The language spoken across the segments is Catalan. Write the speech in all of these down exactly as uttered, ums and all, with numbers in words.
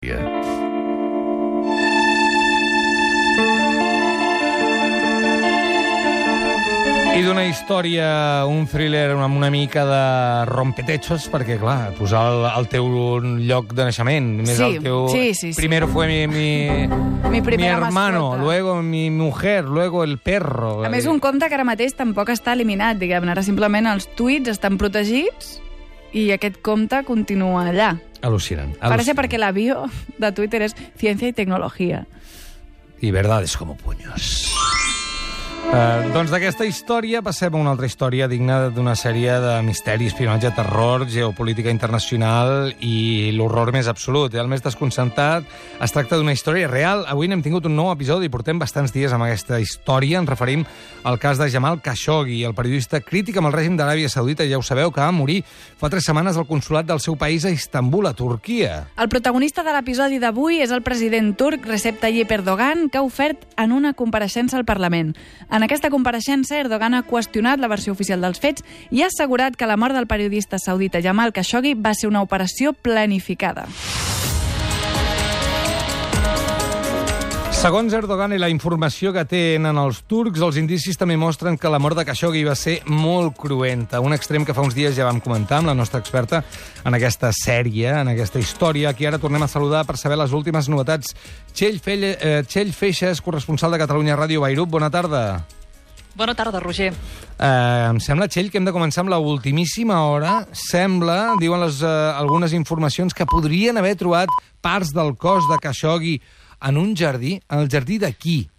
I d'una història, un thriller amb una mica de rompetechos, perquè, clar, posar el, el teu lloc de naixement, més Sí, el teu... sí, sí, sí. Primero fue mi, mi, Mi primera hermano, mascota. luego mi mujer, luego el perro. A més, un compte que ara mateix tampoc està eliminat, diguem-ne. Ara simplement els tuits estan protegits i aquest compte continua allà. Al·lucinant. Parece perquè la bio de Twitter és ciència i tecnologia. I verdades como puños. Uh, doncs d'aquesta història passem a una altra història digna d'una sèrie de misteri, espionatge, terror, geopolítica internacional i l'horror més absolut. El més desconcertat es tracta d'una història real. Avui n'hem tingut un nou episodi i portem bastants dies amb aquesta història. Ens referim al cas de Jamal Khashoggi, el periodista crític amb el règim d'Aràbia Saudita. Ja ho sabeu, que va morir fa tres setmanes al consolat del seu país a Istanbul, a Turquia. El protagonista de l'episodi d'avui és el president turc Recep Tayyip Erdogan, que ha ofert en una compareixença al Parlament. En aquesta compareixença, Erdogan ha qüestionat la versió oficial dels fets i ha assegurat que la mort del periodista saudita Jamal Khashoggi va ser una operació planificada. Segons Erdogan i la informació que tenen els turcs, els indicis també mostren que la mort de Khashoggi va ser molt cruenta. Un extrem que fa uns dies ja vam comentar amb la nostra experta en aquesta sèrie, en aquesta història. Aquí ara tornem a saludar per saber les últimes novetats. Txell, Felle, eh, Txell Feixes, corresponsal de Catalunya Ràdio Beirut. Bona tarda. Bona tarda, Roger. Eh, em sembla, Txell, que hem de començar amb l'ultimíssima hora. Sembla, diuen les, eh, algunes informacions, que podrien haver trobat parts del cos de Khashoggi en un jardí. En el jardí de qui?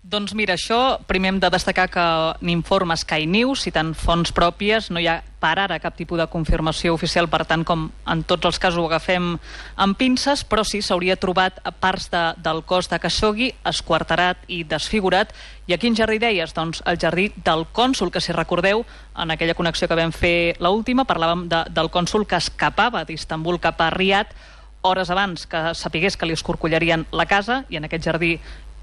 Doncs mira, això primer hem de destacar que n'informa Sky News, citant fonts pròpies, no hi ha per ara cap tipus de confirmació oficial, per tant, com en tots els casos ho agafem amb pinces, però sí, s'hauria trobat parts de, del cos de Khashoggi esquarterat i desfigurat. I a quin jardí deies? Doncs el jardí del cònsol, que si recordeu, en aquella connexió que vam fer l'última, parlàvem de, del cònsol que escapava d'Istanbul cap a Riad hores abans que sapigués que li escorcollarien la casa, i en aquest jardí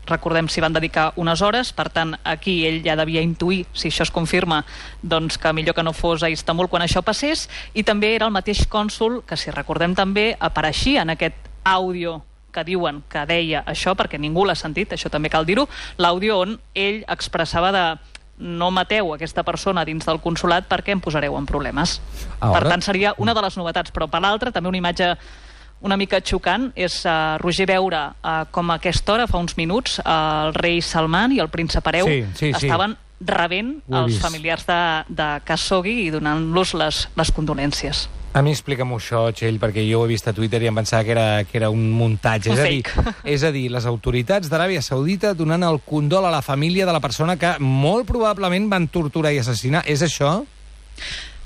recordem s'hi van dedicar unes hores, per tant aquí ell ja devia intuir, si això es confirma, doncs que millor que no fos a Istanbul quan això passés. I també era el mateix cònsol que, si recordem també, apareixia en aquest àudio que diuen que deia això, perquè ningú l'ha sentit, això també cal dir-ho, l'àudio on ell expressava de no mateu aquesta persona dins del consolat perquè em posareu en problemes. Ara... Per tant, seria una de les novetats, però per l'altra també una imatge una mica xocant és, uh, Roger, veure uh, com a aquesta hora, fa uns minuts, uh, el rei Salman i el príncep hereu sí, sí, estaven sí. rebent els familiars de, de Khashoggi i donant-los les, les condolències. A mi explica'm això, Txell, perquè jo ho he vist a Twitter i em pensava que era, que era un muntatge. Un és, a dir, fake. és a dir, les autoritats d'Aràbia Saudita donant el condol a la família de la persona que molt probablement van torturar i assassinar. És això?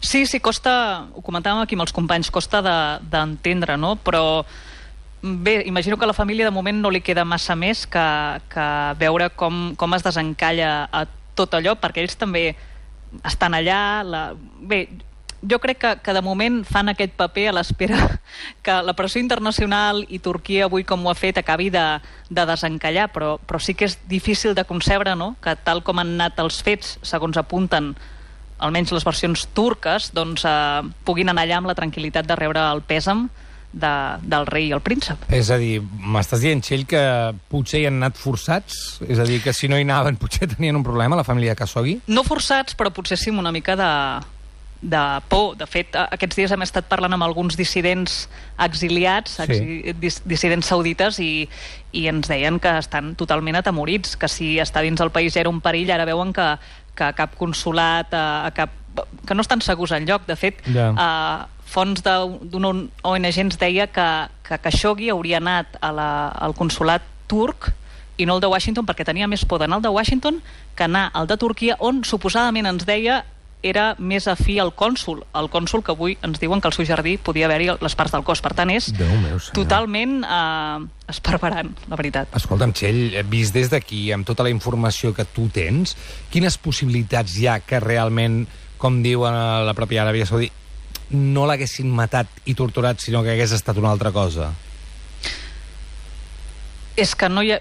Sí, sí, costa, ho comentàvem aquí amb els companys, costa d'entendre, de, no? Però bé, imagino que a la família de moment no li queda massa més que, que veure com, com es desencalla a tot allò, perquè ells també estan allà. La... Bé, jo crec que, que de moment fan aquest paper a l'espera que la pressió internacional i Turquia avui com ho ha fet acabi de, de desencallar, però, però sí que és difícil de concebre, no?, que tal com han anat els fets, segons apunten almenys les versions turques, doncs eh, puguin anar allà amb la tranquil·litat de rebre el pèsam de, del rei i el príncep. És a dir, m'estàs dient, Txell, que potser hi han anat forçats? És a dir, que si no hi anaven potser tenien un problema, la família de Khashoggi? No forçats, però potser sí amb una mica de, de por. De fet, aquests dies hem estat parlant amb alguns dissidents exiliats, sí. exi, dis, dissidents saudites, i, i ens deien que estan totalment atemorits, que si estar dins el país ja era un perill, ara veuen que que a cap consolat, a, a cap, que no estan segurs enlloc. De fet, yeah. uh, fons d'una O N G ens deia que, que Khashoggi hauria anat a la, al consolat turc i no el de Washington, perquè tenia més por d'anar al de Washington que anar al de Turquia, on suposadament ens deia era més afí al cònsol, el cònsol que avui ens diuen que al seu jardí podia haver-hi les parts del cos. Per tant, és meu, totalment eh, esparverant, la veritat. Escolta'm, Txell, vist des d'aquí, amb tota la informació que tu tens, quines possibilitats hi ha que realment, com diuen a la pròpia Aràbia Saudita, no l'haguessin matat i torturat, sinó que hagués estat una altra cosa? És que no hi ha...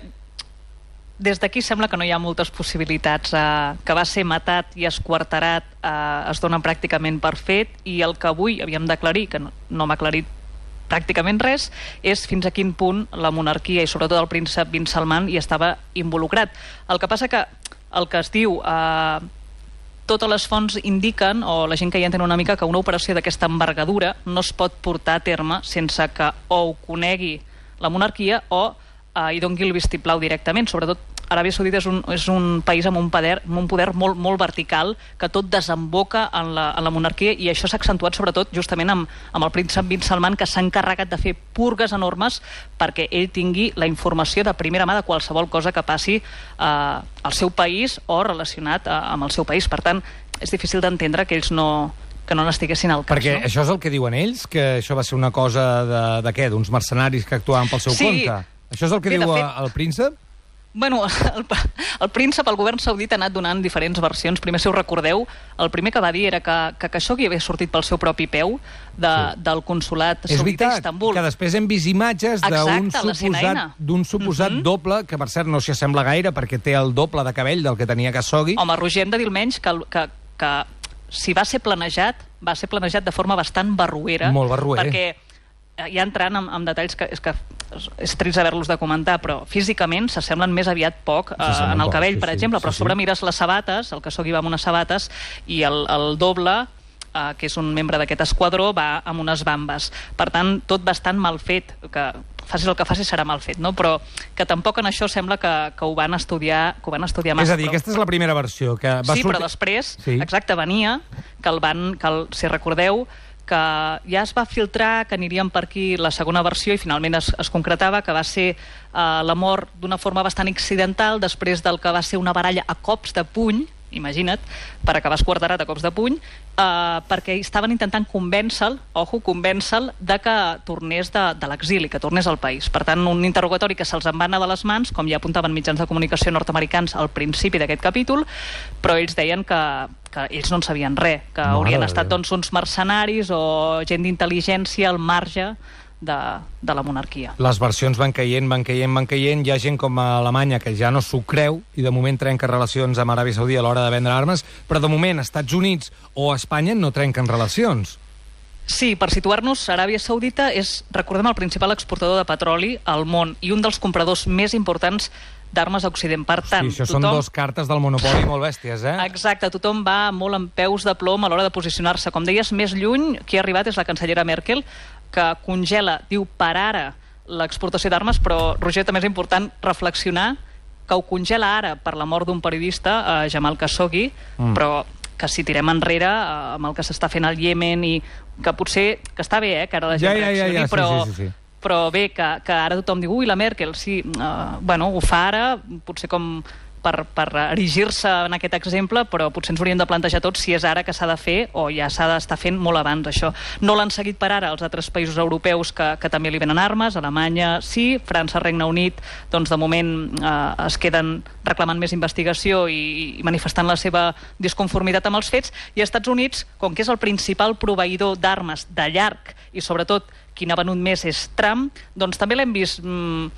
Des d'aquí sembla que no hi ha moltes possibilitats. Eh, que va ser matat i esquarterat eh, es donen pràcticament per fet, i el que avui havíem d'aclarir, que no, no m'ha aclarit pràcticament res, és fins a quin punt la monarquia i sobretot el príncep bin Salman hi estava involucrat. El que passa que el que es diu... Eh, totes les fonts indiquen, o la gent que hi entén una mica, que una operació d'aquesta envergadura no es pot portar a terme sense que o ho conegui la monarquia o eh, hi doni el vistiplau directament. Sobretot Aràbia Saudita és un, és un país amb un poder, amb un poder molt, molt vertical, que tot desemboca en la, en la monarquia, i això s'ha accentuat sobretot justament amb, amb el príncep bin Salman, que s'ha encarregat de fer purgues enormes perquè ell tingui la informació de primera mà de qualsevol cosa que passi eh, al seu país o relacionat eh, amb el seu país. Per tant, és difícil d'entendre que ells no que no n'estiguessin al cas. Perquè no? Això és el que diuen ells? Que això va ser una cosa de, de què? D'uns mercenaris que actuaven pel seu sí. compte? Això és el que Bé, diu fet, el príncep? Bueno, el, el príncep, el govern saudita ha anat donant diferents versions. Primer, si us recordeu, el primer que va dir era que, que Khashoggi havia sortit pel seu propi peu de, sí. del consulat saudita a Istanbul. És veritat, que després hem vist imatges d'un suposat, d'un suposat mm -hmm. doble, que per cert no s'hi assembla gaire perquè té el doble de cabell del que tenia Khashoggi. Home, Roger, hem de dir almenys que, que, que si va ser planejat, va ser planejat de forma bastant barruera. Molt barruer. Perquè ja entrant en, en detalls que és que és trist haver-los de comentar, però físicament s'assemblen més aviat poc eh, en el cabell, poc, sí, per sí, exemple, sí, però sí. sobre mires les sabates, el Khashoggi va amb unes sabates i el, el doble, eh, que és un membre d'aquest esquadró, va amb unes bambes. Per tant, tot bastant mal fet, que facis el que facis serà mal fet, no? Però que tampoc en això sembla que, que ho van estudiar que ho van estudiar massa. És a dir, però... aquesta és la primera versió. Que va sí, sortir... però després, sí. exacte, venia que el van, que el, si recordeu, que ja es va filtrar que aniríem per aquí la segona versió i finalment es, es concretava que va ser eh, la mort d'una forma bastant accidental després del que va ser una baralla a cops de puny, imagina't, per acabar esquarterat a cops de puny, eh, perquè estaven intentant convèncer-lo, ojo, convèncer-lo de que tornés de, de l'exili, que tornés al país. Per tant, un interrogatori que se'ls en va anar de les mans, com ja apuntaven mitjans de comunicació nord-americans al principi d'aquest capítol, però ells deien que que ells no en sabien res, que Mare haurien de estat Déu. doncs, uns mercenaris o gent d'intel·ligència al marge de, de la monarquia. Les versions van caient, van caient, van caient. Hi ha gent com a Alemanya que ja no s'ho creu i de moment trenca relacions amb Aràbia Saudita a l'hora de vendre armes, però de moment Estats Units o Espanya no trenquen relacions. Sí, per situar-nos, Aràbia Saudita és, recordem, el principal exportador de petroli al món i un dels compradors més importants d'armes a Occident. Per tant, sí, això tothom... són dos cartes del monopoli molt bèsties, eh? Exacte, tothom va molt en peus de plom a l'hora de posicionar-se. Com deies, més lluny, qui ha arribat és la cancellera Merkel, que congela, diu per ara, l'exportació d'armes, però, Roger, també és important reflexionar que ho congela ara per la mort d'un periodista, eh, Jamal Khashoggi, mm. però que si tirem enrere eh, amb el que s'està fent al Iemen i que potser, que està bé, eh, que ara la gent ja, ja, reaccioni, ja, ja. però... Sí, sí, sí, sí. Però bé, que, que ara tothom diu ui, la Merkel, sí, uh, bueno, ho fa ara, potser com per, per erigir-se en aquest exemple, però potser ens hauríem de plantejar tots si és ara que s'ha de fer o ja s'ha d'estar fent molt abans, això. No l'han seguit per ara els altres països europeus que, que també li venen armes, Alemanya sí, França, Regne Unit, doncs de moment eh, es queden reclamant més investigació i, i manifestant la seva disconformitat amb els fets, i Estats Units, com que és el principal proveïdor d'armes de llarg i sobretot qui n'ha venut més és Trump, doncs també l'hem vist mm,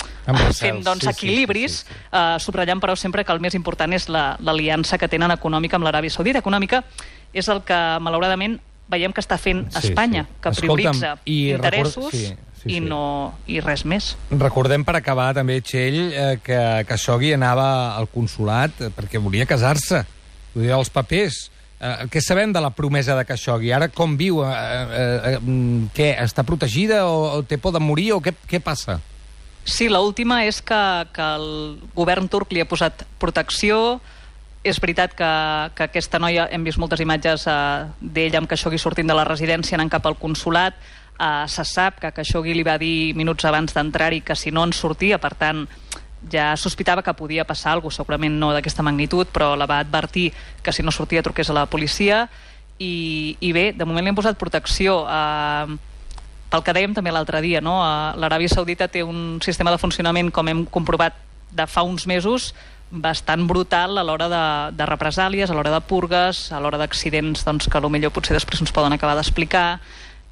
fent doncs, sí, equilibris, sí, sí, sí, sí. Eh, subratllant però sempre que el més important és l'aliança la, que tenen econòmica amb l'Aràbia Saudita. Econòmica és el que malauradament veiem que està fent Espanya, sí, sí. que prioritza Escolta'm, i interessos record... sí, sí, i, sí. No, i res més. Recordem per acabar també, Txell, eh, que Khashoggi anava al consulat perquè volia casar-se, volia els papers. Uh, què sabem de la promesa de Khashoggi? Ara com viu? Uh, uh, uh, què? Està protegida o, o té por de morir o què, què passa? Sí, l'última és que, que el govern turc li ha posat protecció. És veritat que, que aquesta noia, hem vist moltes imatges uh, d'ella amb Khashoggi sortint de la residència anant cap al consulat. Uh, se sap que Khashoggi li va dir minuts abans d'entrar-hi que si no en sortia, per tant ja sospitava que podia passar alguna cosa, segurament no d'aquesta magnitud, però la va advertir que si no sortia truqués a la policia i, i bé, de moment li han posat protecció. Eh, pel que dèiem també l'altre dia, no? Eh, l'Aràbia Saudita té un sistema de funcionament, com hem comprovat de fa uns mesos, bastant brutal a l'hora de, de represàlies, a l'hora de purgues, a l'hora d'accidents doncs, que potser potser després ens poden acabar d'explicar,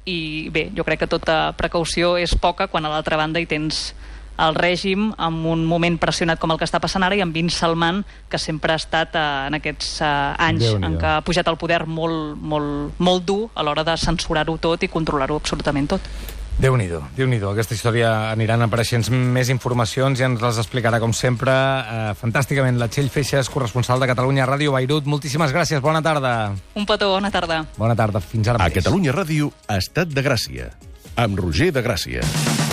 i bé, jo crec que tota precaució és poca quan a l'altra banda hi tens el règim en un moment pressionat com el que està passant ara i amb bin Salman, que sempre ha estat eh, en aquests eh, anys en què ha pujat al poder molt, molt, molt dur a l'hora de censurar-ho tot i controlar-ho absolutament tot. Déu-n'hi-do, Déu-n'hi-do. Aquesta història aniran apareixent més informacions i ens les explicarà, com sempre, eh, fantàsticament, la Txell Feixas, corresponsal de Catalunya Ràdio Beirut. Moltíssimes gràcies, bona tarda. Un petó, bona tarda. Bona tarda, fins ara A mateix. Catalunya Ràdio, Estat de Gràcia, amb Roger de Gràcia.